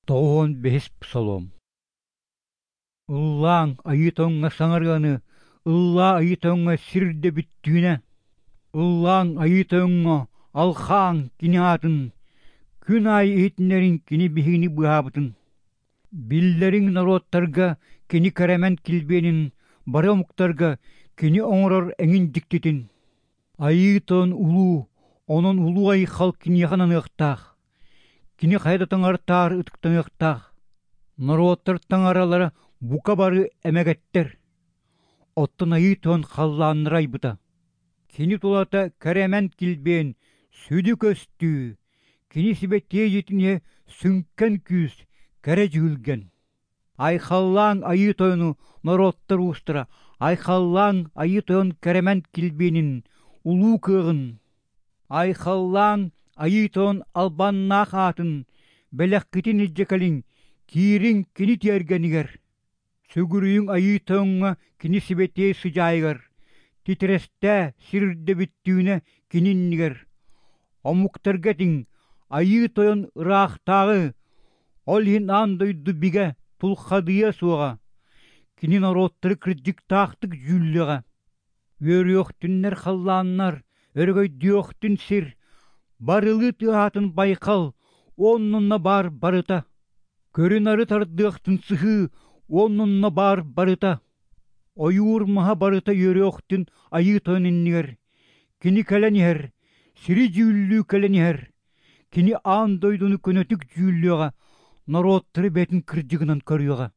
95 псалом. Ыллааҥ, Айыы Тоҥҥо саҥарыаны, ыллаа Айыы Тоҥҥо сир үрдэ бүттүүнэ. Ыллааҥ, Айыы Тойоҥҥо, алхааҥ Кини аатын, күн аайы иһитиннэриҥ Кини биһигини быыһаабытын. Биллэриҥ норуоттарга Кини кэрэмэн килбиэнин, бары омуктарга Кини оҥорор эҥин дьиктитин. Айыы Тойон улуу, онон улуу айхал Киниэхэ ананыахтаах. Кини хайа да таҥартаар ытыктаныахтаах. Норуоттар таҥаралара бука бары эмэгэттэр. Оттон Айыы Тойон халлааннары айбыта. Кини тулата кэрэмэн килбиэн, сүдү көстүү, кини сибэтиэй дьиэтин иһэ сүҥкэн күүс, кэрэ дьүһүлгэн. Айхаллааҥ Айыы Тойону норуоттар уустара, айхаллааҥ Айыы Тойон кэрэмэн килбиэнин, улуу кыаҕын! Айхаллааҥ Айыы Тойон албаннаах аатын, бэлэххитин илдьэ кэлиҥ, киириҥ кини тиэргэнигэр. Сүгүрүйүҥ Айыы Тойоҥҥо кини сибэтиэй сыдьаайыгар, титирэстээ сир үрдэ бүттүүнэ кини иннигэр. Омуктарга этиҥ, Айыы Тойон ыраахтааҕы, ол иһин аан дойду бигэ тулхадыйыа суоҕа, кини норуоттары кырдьыктаахтык дьүүллүөҕэ. Үөрүөхтүннэр халлааннар, өрөгөйдүөхтүн сир, барылыы тыаһаатын байҕал, оннунна баар барыта. Көрү-нары тардыахтын сыһыы, оннунна баар барыта. Ойуур маһа барыта үөрүөхтүн Айыы Тойон иннигэр. Кини кэлэн иһэр, сири дьүүллүү кэлэн иһэр. Кини аан дойдуну көнөтүк дьүүллүөҕэ, норуоттары бэйэтин кырдьыгынан көрүөҕэ.